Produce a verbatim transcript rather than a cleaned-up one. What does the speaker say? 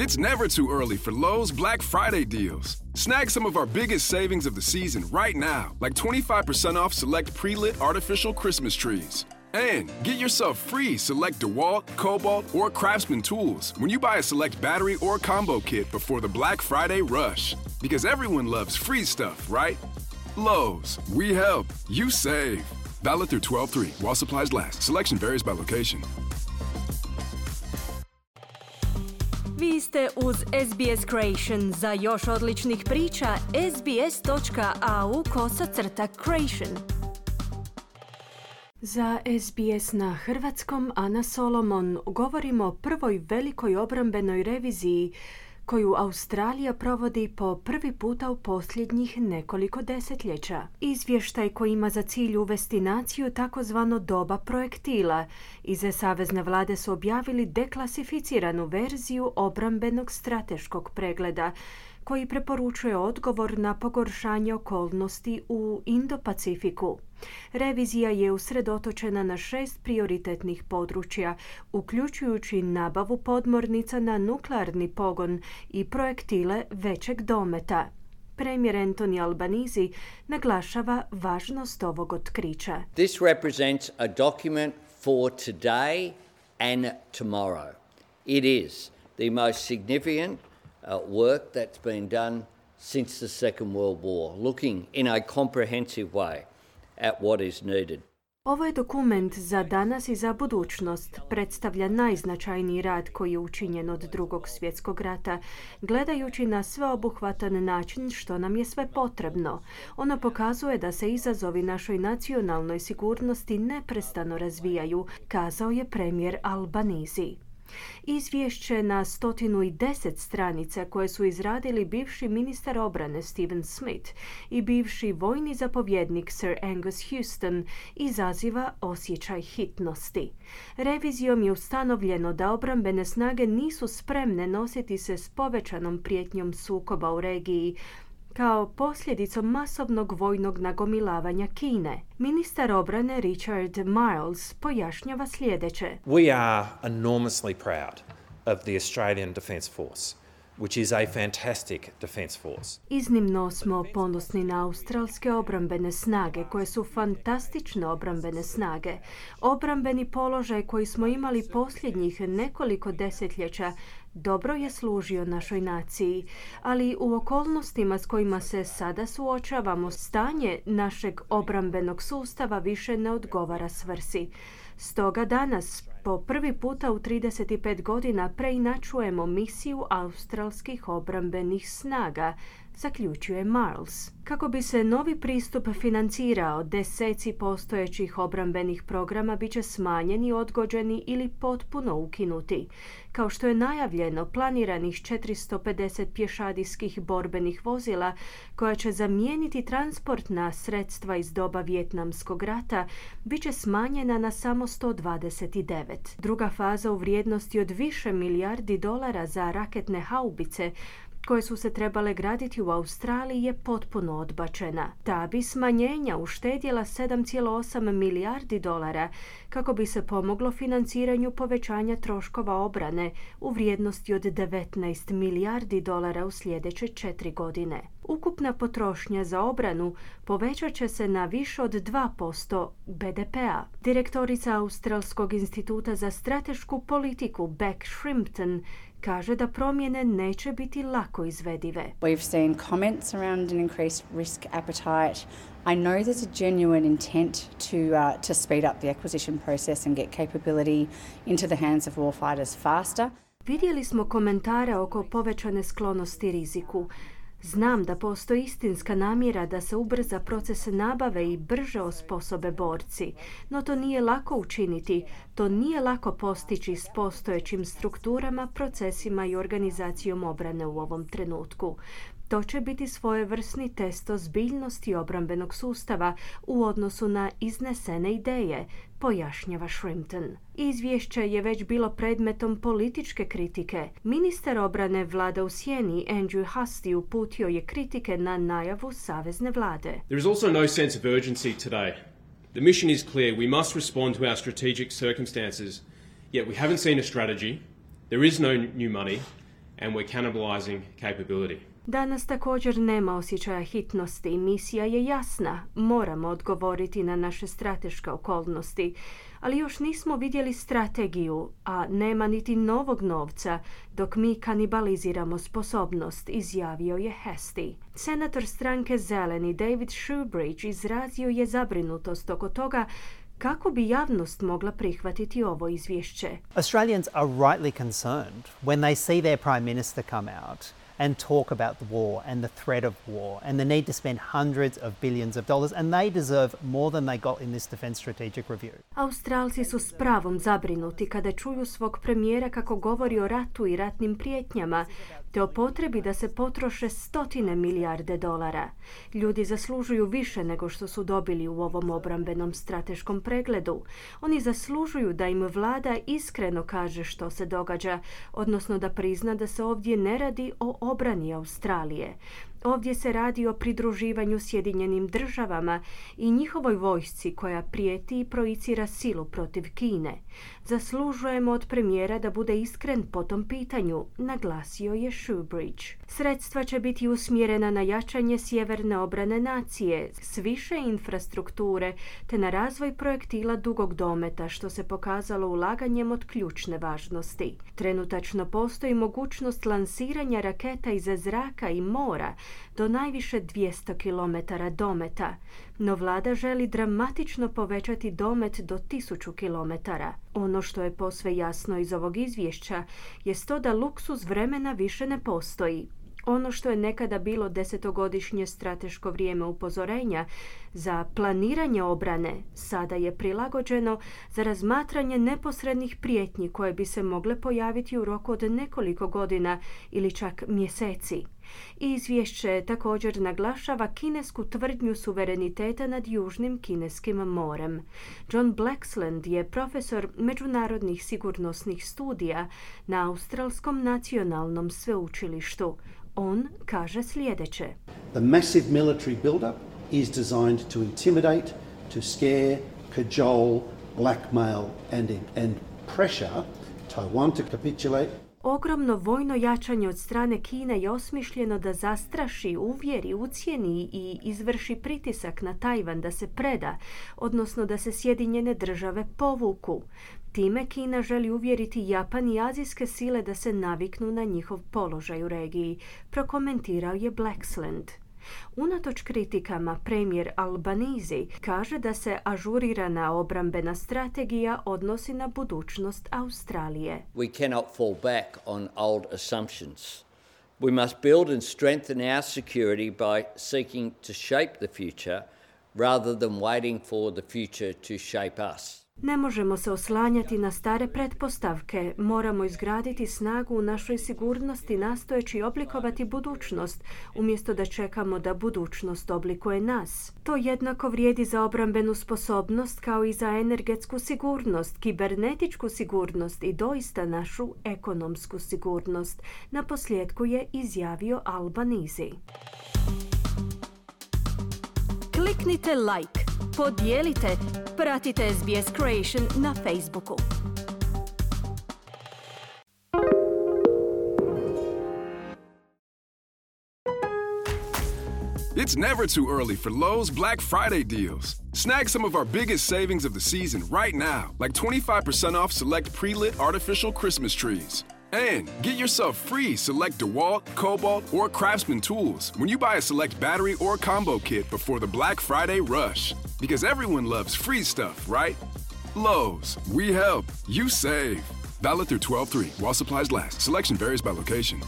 It's never too early for Lowe's Black Friday deals. Snag some of our biggest savings of the season right now, like twenty-five percent off select pre-lit artificial Christmas trees. And get yourself free select DeWalt, Cobalt, or Craftsman tools when you buy a select battery or combo kit before the Black Friday rush. Because everyone loves free stuff, right? Lowe's, we help, you save. Valid through twelve three while supplies last. Selection varies by location. Vi ste uz S B S Creation. Za još odličnih priča, sbs.au kosacrta Creation. Za S B S na hrvatskom, Ana Solomon, govorimo o prvoj velikoj obrambenoj reviziji koju Australija provodi po prvi puta u posljednjih nekoliko desetljeća. Izvještaj koji ima za cilj uvesti naciju takozvano doba projektila. Iz savezne vlade su objavili deklasificiranu verziju obrambenog strateškog pregleda koji preporučuje odgovor na pogoršanje okolnosti u Indo-Pacifiku. Revizija je usredotočena na šest prioritetnih područja, uključujući nabavu podmornica na nuklearni pogon i projektile većeg dometa. Premijer Anthony Albanese naglašava važnost ovog otkrića. This represents a document for today and tomorrow. It is the most significant Uh, work that's been done since the Second World War, looking in a comprehensive way at what is needed. Ovo je dokument za danas i za budućnost. Predstavlja najznačajniji rad koji je učinjen od Drugog svjetskog rata, gledajući na sveobuhvatan način što nam je sve potrebno. Ono pokazuje da se izazovi našoj nacionalnoj sigurnosti neprestano razvijaju, kazao je premijer Albanese. Izvješće na stotinu i deset stranica koje su izradili bivši ministar obrane Stephen Smith i bivši vojni zapovjednik Sir Angus Houston izaziva osjećaj hitnosti. Revizijom je ustanovljeno da obrambene snage nisu spremne nositi se s povećanom prijetnjom sukoba u regiji, kao posljedicom masovnog vojnog nagomilavanja Kine. Ministar obrane Richard Marles pojašnjava sljedeće. We are enormously proud of the Australian Defence Force, which is a fantastic defence force. Iznimno smo ponosni na australske obrambene snage, koje su fantastične obrambene snage. Obrambeni položaj koji smo imali posljednjih nekoliko desetljeća dobro je služio našoj naciji, ali u okolnostima s kojima se sada suočavamo, stanje našeg obrambenog sustava više ne odgovara svrsi. Stoga danas, po prvi puta u trideset pet godina, preinačujemo misiju australskih obrambenih snaga, zaključuje Marles. Kako bi se novi pristup financirao, deseci postojećih obrambenih programa bit će smanjeni, odgođeni ili potpuno ukinuti. Kao što je najavljeno, planiranih četiristo pedeset pješadijskih borbenih vozila koja će zamijeniti transportna sredstva iz doba Vijetnamskog rata bit će smanjena na samo sto dvadeset devet. Druga faza u vrijednosti od više milijardi dolara za raketne haubice koje su se trebale graditi u Australiji je potpuno odbačena. Ta bi smanjenja uštedjela sedam zarez osam milijardi dolara kako bi se pomoglo financiranju povećanja troškova obrane u vrijednosti od devetnaest milijardi dolara u sljedeće četiri godine. Ukupna potrošnja za obranu povećat će se na više od dva posto B D P-a. Direktorica Australskog instituta za stratešku politiku Beck Shrimpton kaže da promjene neće biti lako izvedive. We've seen comments around an increased risk appetite. I know there's a genuine intent to uh, to speed up the acquisition process and get capability into the hands of warfighters faster. Vidjeli smo komentare oko povećane sklonosti riziku. Znam da postoji istinska namjera da se ubrza proces nabave i brže osposobe borci, no to nije lako učiniti, to nije lako postići s postojećim strukturama, procesima i organizacijom obrane u ovom trenutku. To će biti svojevrsni test ozbiljnosti obrambenog sustava u odnosu na iznesene ideje, pojašnjava Shrimpton. Izvješće je već bilo predmetom političke kritike. Ministar obrane vlada u sjeni Andrew Hastie uputio je kritike na najavu savezne vlade. There is also no sense of urgency today. The mission is clear. We must respond to our strategic circumstances. Yet we haven't seen a strategy. There is no new money. and we're cannibalising capability. Danas također nema osjećaja hitnosti. Misija je jasna. Moramo odgovoriti na naše strateške okolnosti. Ali još nismo vidjeli strategiju, a nema niti novog novca dok mi kanibaliziramo sposobnost, izjavio je Hastie. Senator stranke Zeleni David Shoebridge izrazio je zabrinutost oko toga kako bi javnost mogla prihvatiti ovo izvješće. Australians are rightly concerned when they see their Prime Minister come out and talk about the war and the threat of war and the need to spend hundreds of billions of dollars, and they deserve more than they got in this Defence Strategic Review. Australci su s pravom zabrinuti kada čuju svog premijera kako govori o ratu i ratnim prijetnjama, te o potrebi da se potroše stotine milijarde dolara. Ljudi zaslužuju više nego što su dobili u ovom obrambenom strateškom pregledu. Oni zaslužuju da im vlada iskreno kaže što se događa, odnosno da prizna da se ovdje ne radi o obrani Australije. Ovdje se radi o pridruživanju Sjedinjenim državama i njihovoj vojsci koja prijeti i projicira silu protiv Kine. Zaslužujemo od premijera da bude iskren po tom pitanju, naglasio je Shoebridge. Sredstva će biti usmjerena na jačanje sjeverne obrane nacije s više infrastrukture te na razvoj projektila dugog dometa, što se pokazalo ulaganjem od ključne važnosti. Trenutačno postoji mogućnost lansiranja raketa iz zraka i mora do najviše dvjesto kilometara dometa, no vlada želi dramatično povećati domet do tisuću kilometara. Ono što je posve jasno iz ovog izvješća jest to da luksuz vremena više ne postoji. Ono što je nekada bilo desetogodišnje strateško vrijeme upozorenja za planiranje obrane, sada je prilagođeno za razmatranje neposrednih prijetnji koje bi se mogle pojaviti u roku od nekoliko godina ili čak mjeseci. Izvješće također naglašava kinesku tvrdnju suvereniteta nad Južnim kineskim morem. John Blaxland je profesor međunarodnih sigurnosnih studija na Australskom nacionalnom sveučilištu. On kaže sljedeće. The massive military build-up is designed to intimidate, to scare, cajole, blackmail and, and pressure Taiwan to capitulate. Ogromno vojno jačanje od strane Kine je osmišljeno da zastraši, uvjeri, ucijeni i izvrši pritisak na Tajvan da se preda, odnosno da se Sjedinjene države povuku. Time Kina želi uvjeriti Japan i azijske sile da se naviknu na njihov položaj u regiji, prokomentirao je Blaxland. Unatoč kritikama, premijer Albanese kaže da se ažurirana obrambena strategija odnosi na budućnost Australije. We cannot fall back on old assumptions. We must build and strengthen our security by seeking to shape the future rather than waiting for the future to shape us. Ne možemo se oslanjati na stare pretpostavke, moramo izgraditi snagu u našoj sigurnosti nastojeći oblikovati budućnost, umjesto da čekamo da budućnost oblikuje nas. To jednako vrijedi za obrambenu sposobnost kao i za energetsku sigurnost, kibernetičku sigurnost i doista našu ekonomsku sigurnost, na posljedku je izjavio Albanese. Kliknite like, podijelite, pratite S B S Creation na Facebooku. It's never too early for Lowe's Black Friday deals. Snag some of our biggest savings of the season right now, like twenty-five percent off select pre-lit artificial Christmas trees. And get yourself free select DeWalt, Cobalt, or Craftsman tools when you buy a select battery or combo kit before the Black Friday rush. Because everyone loves free stuff, right? Lowe's, we help, you save. Valid through twelve three while supplies last. Selection varies by location.